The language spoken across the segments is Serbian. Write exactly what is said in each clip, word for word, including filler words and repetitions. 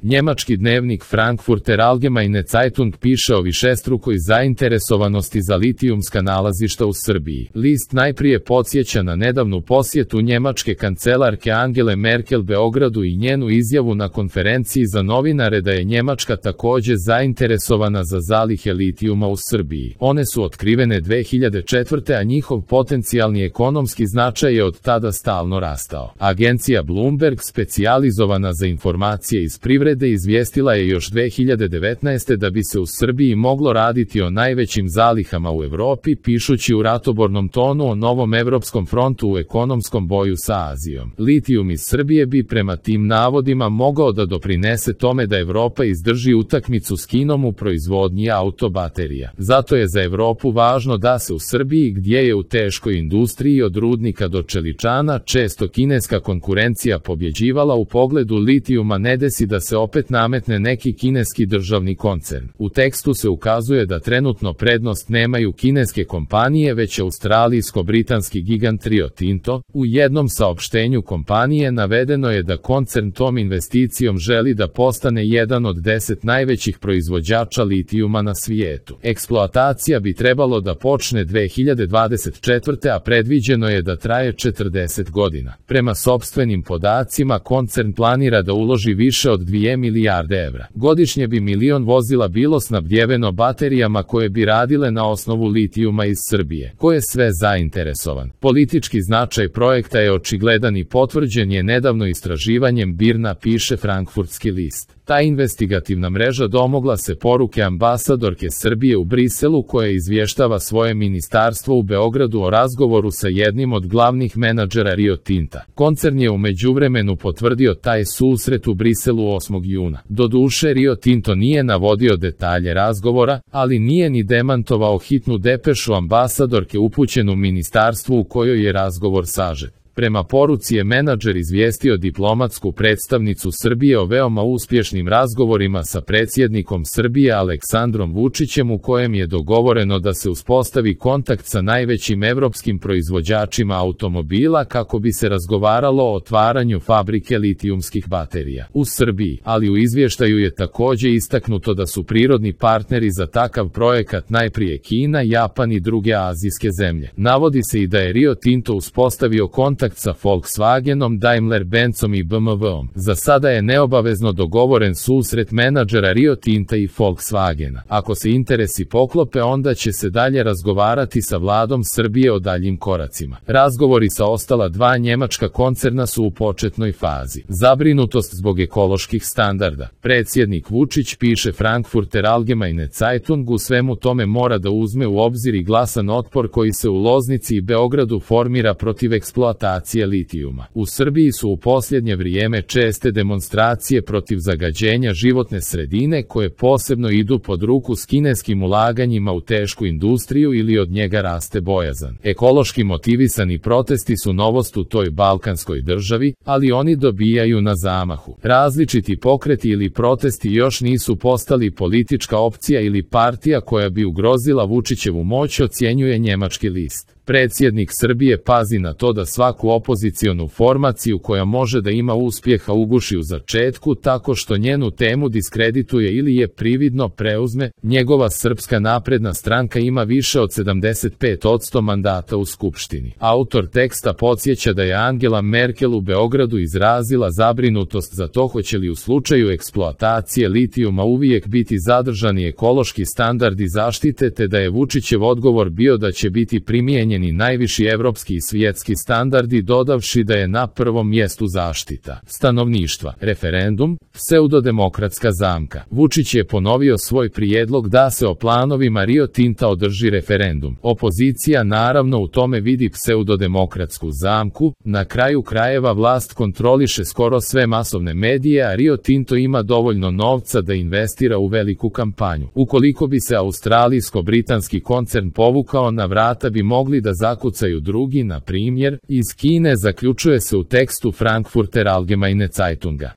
Njemački dnevnik Frankfurter Allgemeine Zeitung piše o višestrukoj zainteresovanosti za litijumska nalazišta u Srbiji. List najprije podsjeća na nedavnu posjetu njemačke kancelarke Angele Merkel Beogradu i njenu izjavu na konferenciji za novinare da je Njemačka takođe zainteresovana za zalihe litijuma u Srbiji. One su otkrivene dve hiljade četvrte. a njihov potencijalni ekonomski značaj je od tada stalno rastao. Agencija Bloomberg, specijalizovana za informacije iz privrede, izvijestila je još dve hiljade devetnaeste. da bi se u Srbiji moglo raditi o najvećim zalihama u Evropi, pišući u ratobornom tonu o novom evropskom frontu u ekonomskom boju sa Azijom. Litijum iz Srbije bi prema tim navodima mogao da doprinese tome da Evropa izdrži utakmicu s Kinom u proizvodnji autobaterija. Zato je za Evropu važno da se u Srbiji, gdje je u teškoj industriji od rudnika do čeličana često kineska konkurencija pobjeđivala u pogledu litijuma, ne desi da se opet nametne neki kineski državni koncern. U tekstu se ukazuje da trenutno prednost nemaju kineske kompanije, već australijsko-britanski gigant Rio Tinto. U jednom saopštenju kompanije navedeno je da koncern tom investicijom želi da postane jedan od deset najvećih proizvođača litijuma na svijetu. Eksploatacija bi trebalo da počne dve hiljade dvadeset četvrte. a predviđeno je da traje četrdeset godina. Prema sopstvenim podacima, koncern planira da uloži više od dvije milijarde evra. Godišnje bi milion vozila bilo snabdjeveno baterijama koje bi radile na osnovu litijuma iz Srbije. Ko je sve zainteresovan? Politički značaj projekta je očigledan i potvrđen je nedavno istraživanjem BIRN-a, piše Frankfurtski list. Ta investigativna mreža domogla se poruke ambasadorke Srbije u Briselu, koja izvještava svoje ministarstvo u Beogradu o razgovoru sa jednim od glavnih menadžera Rio Tinta. Koncern je u međuvremenu potvrdio taj susret u Briselu osmog juna. Doduše, Rio Tinto nije navodio detalje razgovora, ali nije ni demantovao hitnu depešu ambasadorke upućenu ministarstvu u kojoj je razgovor sažet. Prema poruci je menadžer izvijestio diplomatsku predstavnicu Srbije o veoma uspješnim razgovorima sa predsjednikom Srbije Aleksandrom Vučićem, u kojem je dogovoreno da se uspostavi kontakt sa najvećim evropskim proizvođačima automobila kako bi se razgovaralo o otvaranju fabrike litijumskih baterija u Srbiji, ali u izvještaju je takođe istaknuto da su prirodni partneri za takav projekat najprije Kina, Japan i druge azijske zemlje. Navodi se i da je Rio Tinto uspostavio kontakt sa Volkswagenom, Daimler-Benzom i B M W-om. Za sada je neobavezno dogovoren susret menadžera Rio Tinta i Volkswagena. Ako se interesi poklope, onda će se dalje razgovarati sa vladom Srbije o daljim koracima. Razgovori sa ostala dva njemačka koncerna su u početnoj fazi. Zabrinutost zbog ekoloških standarda. Predsjednik Vučić, piše Frankfurter Allgemeine Zeitung, u svemu tome mora da uzme u obzir i glasan otpor koji se u Loznici i Beogradu formira protiv eksploatacije litijuma. U Srbiji su u posljednje vrijeme česte demonstracije protiv zagađenja životne sredine, koje posebno idu pod ruku s kineskim ulaganjima u tešku industriju ili od njega raste bojazan. Ekološki motivisani protesti su novost u toj balkanskoj državi, ali oni dobijaju na zamahu. Različiti pokreti ili protesti još nisu postali politička opcija ili partija koja bi ugrozila Vučićevu moć, ocjenjuje njemački list. Predsjednik Srbije pazi na to da svaku opozicionu formaciju koja može da ima uspjeha uguši u začetku tako što njenu temu diskredituje ili je prividno preuzme. Njegova Srpska napredna stranka ima više od sedamdeset pet posto mandata u Skupštini. Autor teksta podsjeća da je Angela Merkel u Beogradu izrazila zabrinutost za to hoće li u slučaju eksploatacije litijuma uvijek biti zadržani ekološki standardi zaštite, te da je Vučićev odgovor bio da će biti primijenjen i najviši evropski i svjetski standardi, dodavši da je na prvom mjestu zaštita stanovništva. Referendum, pseudodemokratska zamka. Vučić je ponovio svoj prijedlog da se o planovima Rio Tinta održi referendum. Opozicija naravno u tome vidi pseudodemokratsku zamku. Na kraju krajeva vlast kontroliše skoro sve masovne medije, a Rio Tinto ima dovoljno novca da investira u veliku kampanju. Ukoliko bi se australijsko-britanski koncern povukao, na vrata bi mogli da zakucaju drugi, na primjer, iz Kine, zaključuje se u tekstu Frankfurter Allgemeine Zeitunga.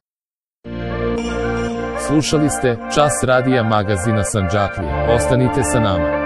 Slušali ste Čas radija magazina Sandžaklije. Ostanite sa nama.